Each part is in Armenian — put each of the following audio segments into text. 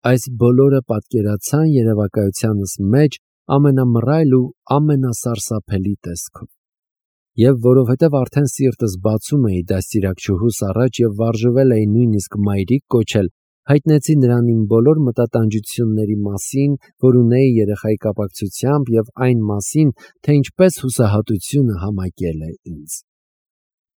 Այս բոլորը պատկերացան երևակայությանս մեջ ամենամռայլ ու ամենասարսափելի տեսքով։ Եվ որովհետև արդեն սիրտս բացում էի դաստիարակչուհուս առաջ և վարժվել էի նույնիսկ մայրիկ կոչել, հայտնեցի նրան իմ բոլոր մտատանջությունների մասին, որ ունեի երեխայի կապակցությամբ, և այն մասին, թե ինչպես հուսահատությունը համակել է ինձ։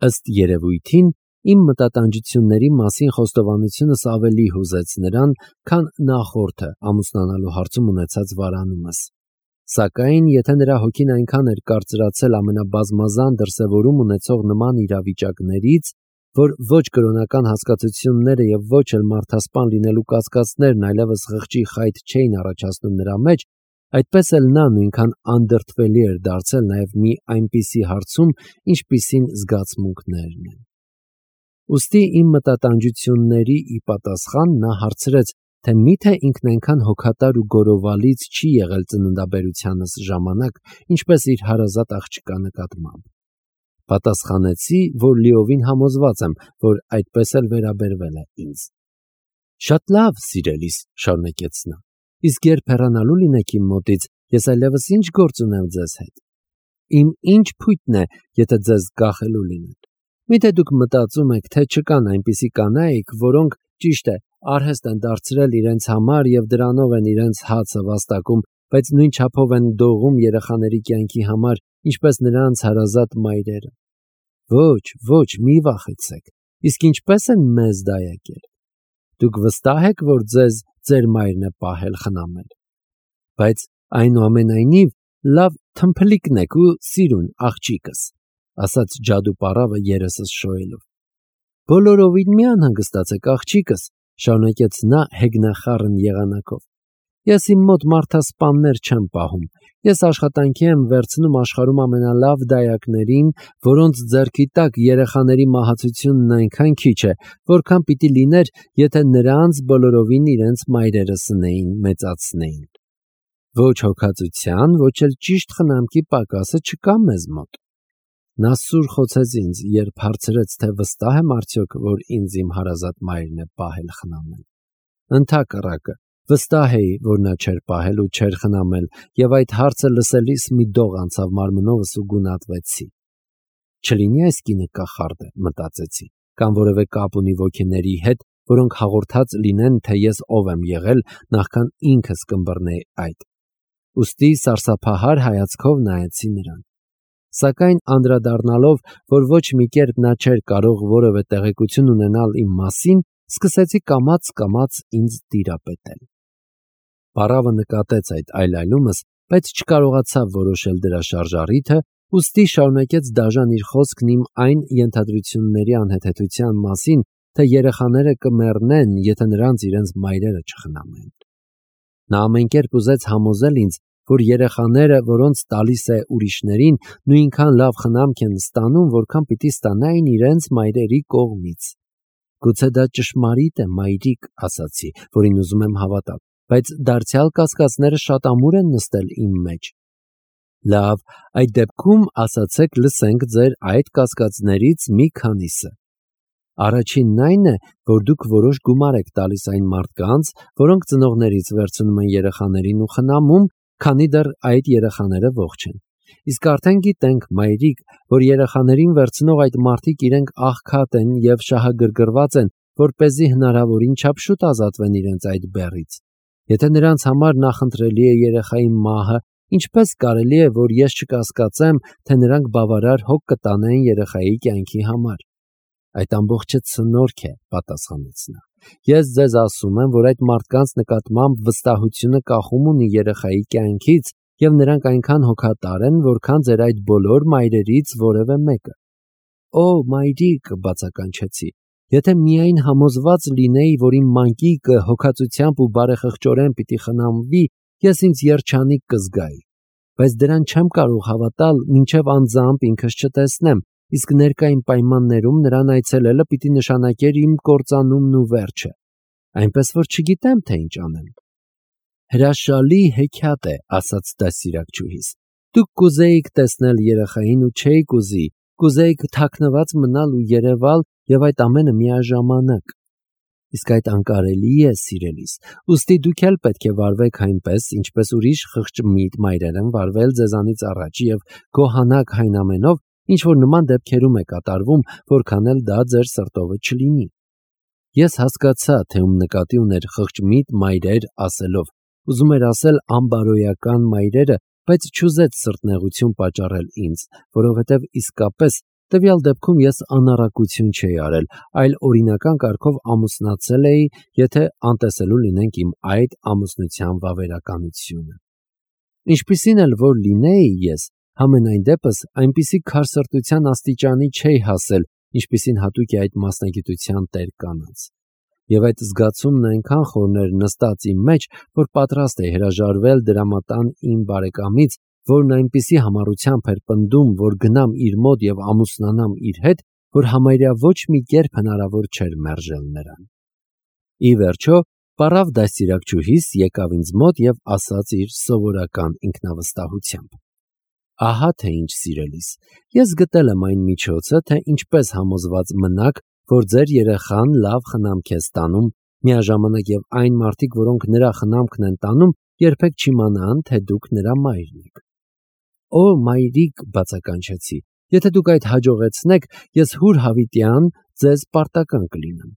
Ըստ երևույթին, իմ մտատանջությունների մասին խոստովանությունս ավելի հուզեց նրան, քան նախորդը ամուսնանալու հարցում ունեցած վարանումս։ Սակայն, եթե նրա հոգին այնքան էր կարծրացել ամենաբազմազան դրսևորում ունեցող նման իրավիճակներից, որ ոչ կրոնական հասկացությունները և ոչ էլ մարդասպան լինելու կասկածներն այլևս խղճի խայտ չէին առաջացնում նրա մեջ, այդպես էլ նա նույնքան անդրդվելի էր դարձել նաև մի այնպիսի հարցում, ինչպիսին զգացմունքներն են։ Ուստի իմ մտատանջությունների ի պատասխան նա հարցրեց, թե միթե ինքն այնքան հոգատար ու գորովալից չի եղել ծննդաբերությանս ժամանակ, ինչպես իր հարազատ աղջկա նկատմամբ։ Պատասխանեցի, որ լիովին համոզված եմ, որ այդպես էլ վերաբերվել է ինձ։ Շատ լավ, սիրելիս, շարունակեց նա, իսկ երբ հեռանալու լինեք իմ մոտից, ես այլևս ինչ գործ ունեմ ձեզ հետ։ Իմ ինչ փույթն է, եթե ձեզ գախելու լինեն։ Միթե դուք մտածում եք, թե չկան այնպիսի կանայք, որոնք, ճիշտ է, արհեստ են դարձրել իրենց համար և դրանով են իրենց հացը վաստակում, բայց նույն չափով են դողում երեխաների կյանքի համար, ինչպես նրանց հարազատ մայրերը։ Ոչ, մի վախեցեք, իսկ ինչպես են մեզ դայակել։ Դուք վստահ եք, որ ձեզ ձեր մայրն է պահել խնամել։ Բայց այնուամենայնիվ, լավ թմփլիկն եք ու սիրուն, աղջիկս, ասաց ջադուպառավը երեսս շոյելով։ Բոլորովին մի անհանգստացեք, աղջիկս, շարունակեց նա հեգնախառն եղանակով։ Ես իմ մոտ մարդասպաններ չեմ պահում։ Ես աշխատանքի եմ վերցնում աշխարհում ամենալավ դայակներին, որոնց ձեռքի տակ երեխաների մահացությունն այնքան քիչ է, որքան պիտի լիներ, եթե նրանց բոլորովին իրենց մայրերը սնեին, մեծացնեին։ Ոչ հոգածության, ոչ էլ ճիշտ խնամքի պակասը չկա մեզ մոտ։ Նա սուր խոցեց ինձ, երբ հարցրեց, թե վստահ եմ արդյոք, որ ինձ իմ հարազատ մայրն է պահել խնամել։ Ընդհակառակը, վստահ էի, որ նա չէր պահել ու չէր խնամել, և այդ հարցը լսելիս մի դող անցավ մարմնովս ու գունատվեցի։ Չլինի այս կինը կախարդ է, մտածեցի, կամ որևէ կապ ունի ոգիների հետ, որոնք հաղորդած լինեն, թե ես ով եմ եղել, նախքան ինքս կըմբռնեի այդ։ Ուստի սարսափահար հայացքով նայեցի նրան։ Սակայն անդրադառնալով, որ ոչ մի կերպ նա չէր կարող որևէ տեղեկություն ունենալ իմ մասին, սկսեցի կամաց ինձ տիրապետել։ Պառավը նկատեց այդ այլայլումս, բայց չկարողացավ որոշել դրա շարժառիթը, ուստի շարունակեց դաժան իր խոսքն իմ այն ենթադրությունների անհեթեթության մասին, թե երեխաները կմեռնեն, եթե նրանց իրենց մայրերը չխնամեն։ Նա ամեն կերպ ուզեց համոզել ինձ, որ երեխաները, որոնց տալիս է ուրիշներին, նույնքան լավ խնամք են ստանում, որքան պիտի ստանային իրենց մայրերի կողմից։ Գուցե դա ճշմարիտ է, մայրիկ, ասացի, որին ուզում եմ հավատալ, բայց դարձյալ կասկածները շատ ամուր են նստել իմ մեջ։ Լավ, այդ դեպքում ասացեք լսենք ձեր այդ կասկածներից մի քանիսը։ Առաջինն այն է, որ դուք որոշ գումար եք տալիս այն մարդկանց, որոնք ծնողներից վերցնում են երեխաներին ու խնամում, քանի դեռ այդ երեխաները ողջ են։ Իսկ արդեն գիտենք, մայրիկ, որ երեխաներին վերցնող այդ մարդիկ իրենք աղքատ են և շահագրգռված են, որպեսզի հնարավորին չափ շուտ ազատվեն իրենց այդ բեռից։ Եթե նրանց համար նախընտրելի է երեխայի մահը, ինչպես կարելի է, որ ես չկասկածեմ, թե նրանք բավարար հոգ կտանեն երեխայի կյանքի համար։ Այդ ամբողջը ցնորք է, պատասխանեց նա։ Ես ձեզ ասում եմ, որ այդ մարդկանց նկատմամբ վստահությունը կախում ունի երեխայի կյանքից, և նրանք այնքան հոգատար են, որքան ձեր այդ բոլոր մայրերից որևէ մեկը։ Օ, մայրիկ, բացականչեցի, եթե միայն համոզված լինեի, որ իմ մանկիկը հոգածությամբ ու բարեխղճորեն պիտի խնամվի, ես ինձ երջանիկ կզգայի, բայց դրան չեմ կարող հավատալ, մինչև անձամբ ինքս չտեսնեմ, իսկ ներկային պայմաններում նրան այցելելը պիտի նշանակեր իմ կործանումն ու վերջը, այնպես որ չգիտեմ, թե ինչ անեմ։ Հրաշալի հեքիաթ է, ասաց դաստիարակչուհիս։ Դուք կուզեիք տեսնել երեխային ու չէիք ուզի, կուզեիք թաքնված մնալ ու երևալ, և այդ ամենը միաժամանակ։ Իսկ այդ անկարելի է, սիրելիս, ուստի դուք էլ պետք է վարվեք այնպես, ինչպես ուրիշ խղճմիտ մայրեր են վարվել ձեզանից առաջ եւ գոհանաք այն ամենով, ինչ որ նման դեպքերում է կատարվում, որքան էլ դա ձեր սրտովը չլինի։ Ես հասկացա, թե ում նկատի ուներ խղճմիտ մայրեր ասելով, ուզում էր ասել ամբարոյական մայրերը, բայց չուզեց սրտնեղություն պատճառել ինձ, որովհետև իսկապես տվյալ դեպքում ես անառակություն չէի արել, այլ օրինական կարգով ամուսնացել էի, եթե անտեսելու լինենք իմ այդ ամուսնության վավերականությունը։ Ինչպիսին էլ որ լինեի ես, համենայն դեպս այնպիսի քարսրտության աստիճանի չէի հասել, ինչպիսին հատուկ է այդ մասնագիտության տեր կանանց։ Եվ այդ զգացումն այնքան խորն էր նստած իմ մեջ, որ պատրաստ էի հրաժարվել դրամատան իմ բարեկամից, որն այնպիսի համառությամբ էր պնդում, որ գնամ իր մոտ եւ ամուսնանամ իր հետ, որ համարյա ոչ մի կերպ հնարավոր չէր մերժել նրան։ Ի վերջո, պարավ դաստիարակչուհիս եկավ ինձ մոտ եւ ասաց իր սովորական ինքնավստահությամբ. Ահա թե ինչ, սիրելիս, ես գտել եմ այն միջոցը, թե ինչպես համոզված մնաք, որ ձեր երեխան լավ խնամք է ստանում, միաժամանակ եւ այն մարդիկ, որոնք նրա խնամքն են տանում, երբեք չիմանան, թե դուք նրա մայրն եք։ Օ, մայրիկ, բացականչեցի, եթե դուք այդ հաջողեցնեք, ես հուր հավիտյան ձեզ պարտական կլինեմ։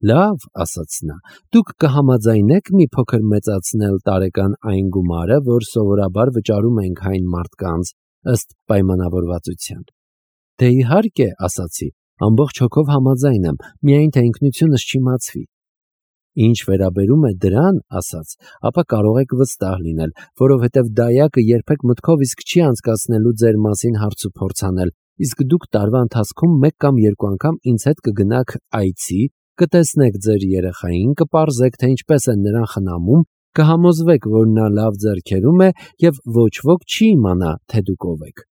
Լավ, ասաց նա, դուք կհամաձայնեք մի փոքր մեծացնել տարեկան այն գումարը, որ սովորաբար վճարում ենք այն մարդկանց ըստ պայմանավորվածության։ Դե իհարկե, ասացի, ամբողջ հոգով համաձայն եմ, միայն թե ինքնությունս չիմացվի։ Ինչ վերաբերում է դրան, ասաց, ապա կարող եք վստահ լինել, որովհետև դայակը երբեք մտքով իսկ չի անցկացնելու ձեր մասին հարց ու փորձ անել, իսկ դուք տարվա ընթացքում մեկ կամ երկու անգամ ինձ հետ կգնաք այցի, կտեսնեք ձեր երեխային, կպարզեք, թե ինչպես են նրան խնամում, կհամոզվեք, որ նա լավ ձեռքերում է եւ ոչ ոք չի իմանա, թե դուք ով եք։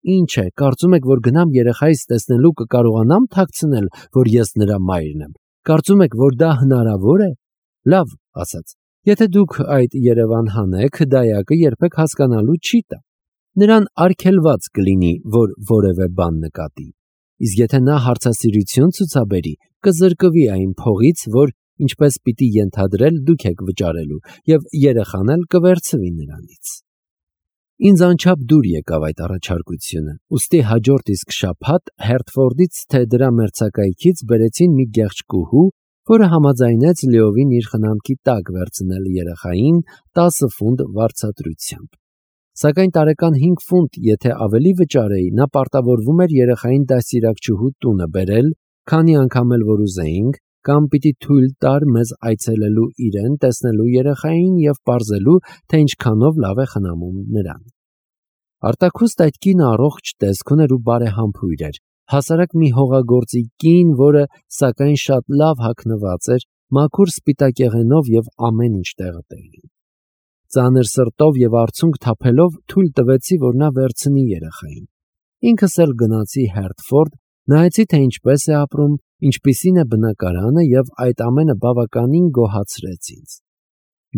Ինչ է, կարծում եք, որ գնամ երեխայիս տեսնելու կկարողանամ թաքցնել, որ ես նրա մայրն եմ։ Կարծում եք, որ դա հնարավոր է։ Լավ, ասաց, եթե դուք այդ Երևան հանեք, դայակը երբեք հասկանալու չի տա։ Նրան արգելված կլինի, որ որևէ բան նկատի։ Իսկ եթե նա հարցասիրություն ցուցաբերի, կզրկվի այն փողից, որ ինչպես պիտի ենթադրել դուք եք վճարելու, եւ երեխան էլ կվերցվի նրանից։ Ինձ անչափ դուր եկավ այդ առաջարկությունը, ուստի հաջորդ իսկ շաբաթ Հերթֆորդից թե դրա մերձակայքից բերեցին մի գեղեցկուհու, որը համաձայնեց լիովին իր խնամքի տակ վերցնել երեխային 10 ֆունտ վարձատրությամբ։ Սակայն տարեկան 5 ֆունտ, եթե ավելի վճարեի, նա պարտավորվում էր երեխային դաստիարակչուհու տունը բերել, քանի անգամ էլ որ ուզեինք, կամ պիտի թույլ տար մեզ այցելելու իրեն, տեսնելու երեխային եւ պարզելու, թե ինչքանով լավ է խնամում նրան։ Արտաքուստ այդ կինը առողջ տեսք ուներ ու բարեհամբույր էր, հասարակ մի հողագործի կին, որը սակայն շատ լավ հագնված էր, մաքուր սպիտակեղենով եւ ամեն ինչ տեղը տեղին։ Ծանր սրտով եւ արցունք թափելով թույլ տվեցի, որ նա վերցնի երեխային։ Ինքս էլ գնացի Հերթֆորդ, նայեցի, թե ինչպես է ապրում, ինչպիսին է բնակարանը եւ այդ ամենը բավականին գոհացրեց ինձ։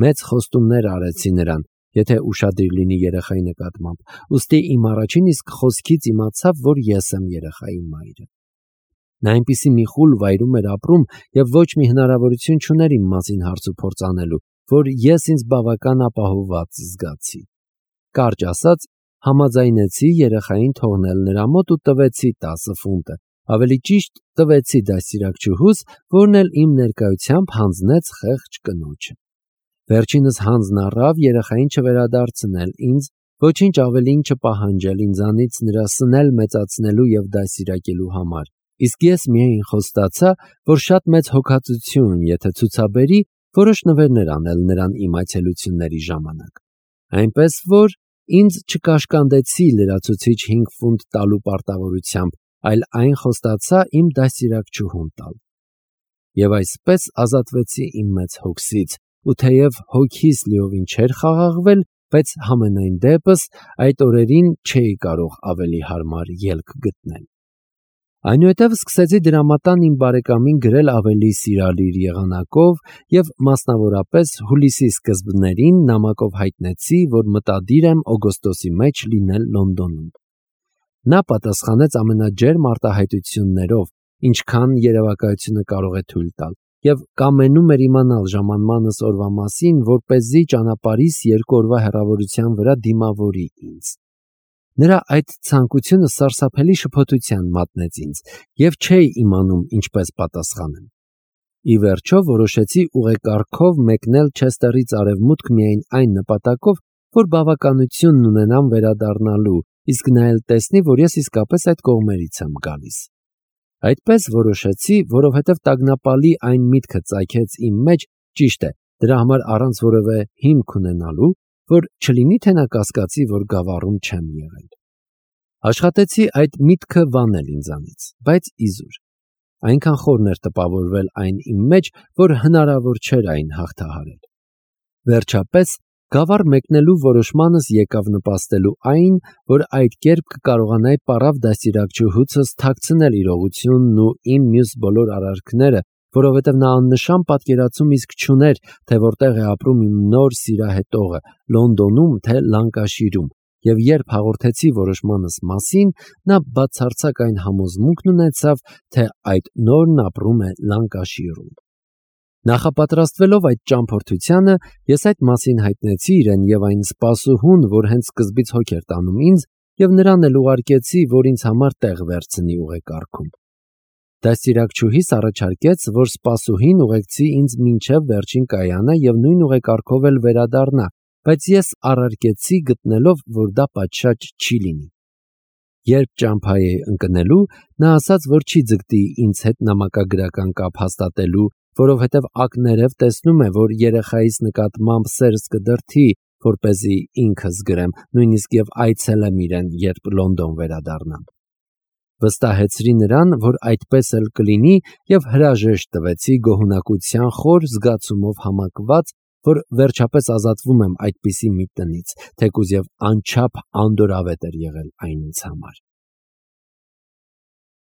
Մեծ խոստումներ արեցի նրան, եթե ուշադիր լինի երեխայի նկատմամբ, ուստի իմ առաջին իսկ խոսքից իմացավ, որ ես եմ երեխայի մայրը։ Նա այնպիսի մի խուլ վայրում էր ապրում եւ ոչ մի հնարավորություն չուներ իմ մասին հարց ու փորձ անելու, որ ես ինձ բավական ապահովված զգացի։ Կարճ ասած, համաձայնեցի երեխային թողնել նրա մոտ ու տվեցի 10 ֆունտը, ավելի ճիշտ տվեցի դաստիարակչուհուս, որն էլ իմ ներկայությամբ հանձնեց խեղճ կնոջը։ Վերջինս հանձն առավ երեխային չվերադարձնել ինձ, ոչինչ ավելին չպահանջել ինձանից նրա սնել մեծացնելու եւ դաստիարակելու համար, իսկ ես միայն խոստացա, որ շատ մեծ հոգածություն, եթե ցուցաբերի, որոշ նվերներ անել նրան իմ այցելությունների ժամանակ։ Այնպես որ ինձ չկաշկանդեցի լրացուցիչ 5 ֆունտ տալու պարտավորությամբ, այլ այն խոստացա իմ դաստիարակչուհուն տալ։ Եվ այսպես ազատվեցի իմ մեծ հոգսից, ու թեև հոգիս լիովին չէր խաղաղվել, բայց համենայն դեպս այդ օրերին չէի կարող ավելի հարմար ելք գտնել։ Այնուհետև սկսեցի դրամատան իմ բարեկամին գրել ավելի սիրալիր եղանակով եւ մասնավորապես հուլիսի սկզբներին նամակով հայտնեցի, որ մտադիր եմ օգոստոսի մեջ լինել Լոնդոնում։ Նա պատասխանեց ամենաջերմ արտահայտություններով, ինչքան երևակայությունը կարող է թույլ տալ, և կամենում էր իմանալ ժամանմանս օրվա մասին, որպեսզի ճանապարհիս 2 օրվա հեռավորության վրա դիմավորի ինձ։ Նրա այդ ցանկությունը սարսափելի շփոթության մատնեց ինձ, և չէի իմանում ինչպես պատասխանեմ։ Ի վերջո որոշեցի ուղեկարգով մեկնել Չեսթերից արևմուտք միայն այն նպատակով, որ բավականությունն ունենամ վերադառնալու, իսկ նա էլ տեսնի, որ ես իսկապես այդ կողմերից եմ գալիս։ Այդպես որոշեցի, որովհետև տագնապալի այն միտքը ծագեց իմ մեջ, ճիշտ է, դրա համար առանց որևէ հիմք ունենալու, որ չլինի թե նա կասկածի, որ գավառում չեմ եղել։ Աշխատեցի այդ միտքը վանել ինձանից, բայց իզուր։ Այնքան խորն էր տպավորվել այն իմ մեջ, որ հնարավոր չէր այն հաղթահարել։ Վերջապես, գավառ մեկնելու որոշմանս եկավ նպաստելու այն, որ այդ կերպ կկարողանայի պառավ դաստիարակչուհուցս թաքցնել իրողությունն ու իմ մյուս բոլոր արարքները, որովհետև նա աննշան պատկերացում իսկ չուներ, թե որտեղ է ապրում իմ նոր սիրահետողը՝ Լոնդոնում թե Լանկաշիրում, և երբ հաղորդեցի որոշմանս մասին, նա բացարձակ այն համոզմունքն ունեցավ, թե այդ նորն ապրում է Լանկաշիրում։ Նախապատրաստվելով այդ ճամփորդությանը, ես այդ մասին հայտնեցի իրեն և այն սպասուհուն, որ հենց սկզբից հոգ էր տանում ինձ, և նրան էլ ուղարկեցի, որ ինձ համար տեղ վերցնի ուղեկարգում։ Դաստիարակչուհիս առաջարկեց, որ սպասուհին ուղեկցի ինձ մինչև վերջին կայանը և նույն ուղեկարգով էլ վերադառնա, բայց ես առարկեցի գտնելով, որ դա պատշաճ չի լինի։ Երբ ճամփայի էի ընկնելու, նա ասաց, որ չի ձգտի ինձ հետ նամակագրական կապ հաստատելու, որովհետև ակներև տեսնում է, որ երեխայիս նկատմամբ սերս կդրդի, որպեսզի ինքս գրեմ, նույնիսկ և այցելեմ իրեն, երբ Լոնդոն վերադառնամ։ Վստահեցրի նրան, որ այդպես էլ կլինի, և հրաժեշտ տվեցի գոհունակության խոր զգացումով համակված, որ վերջապես ազատվում եմ այդպիսի մի տնից, թեկուզ և անչափ անդորավետ էր եղել այն ինձ համար։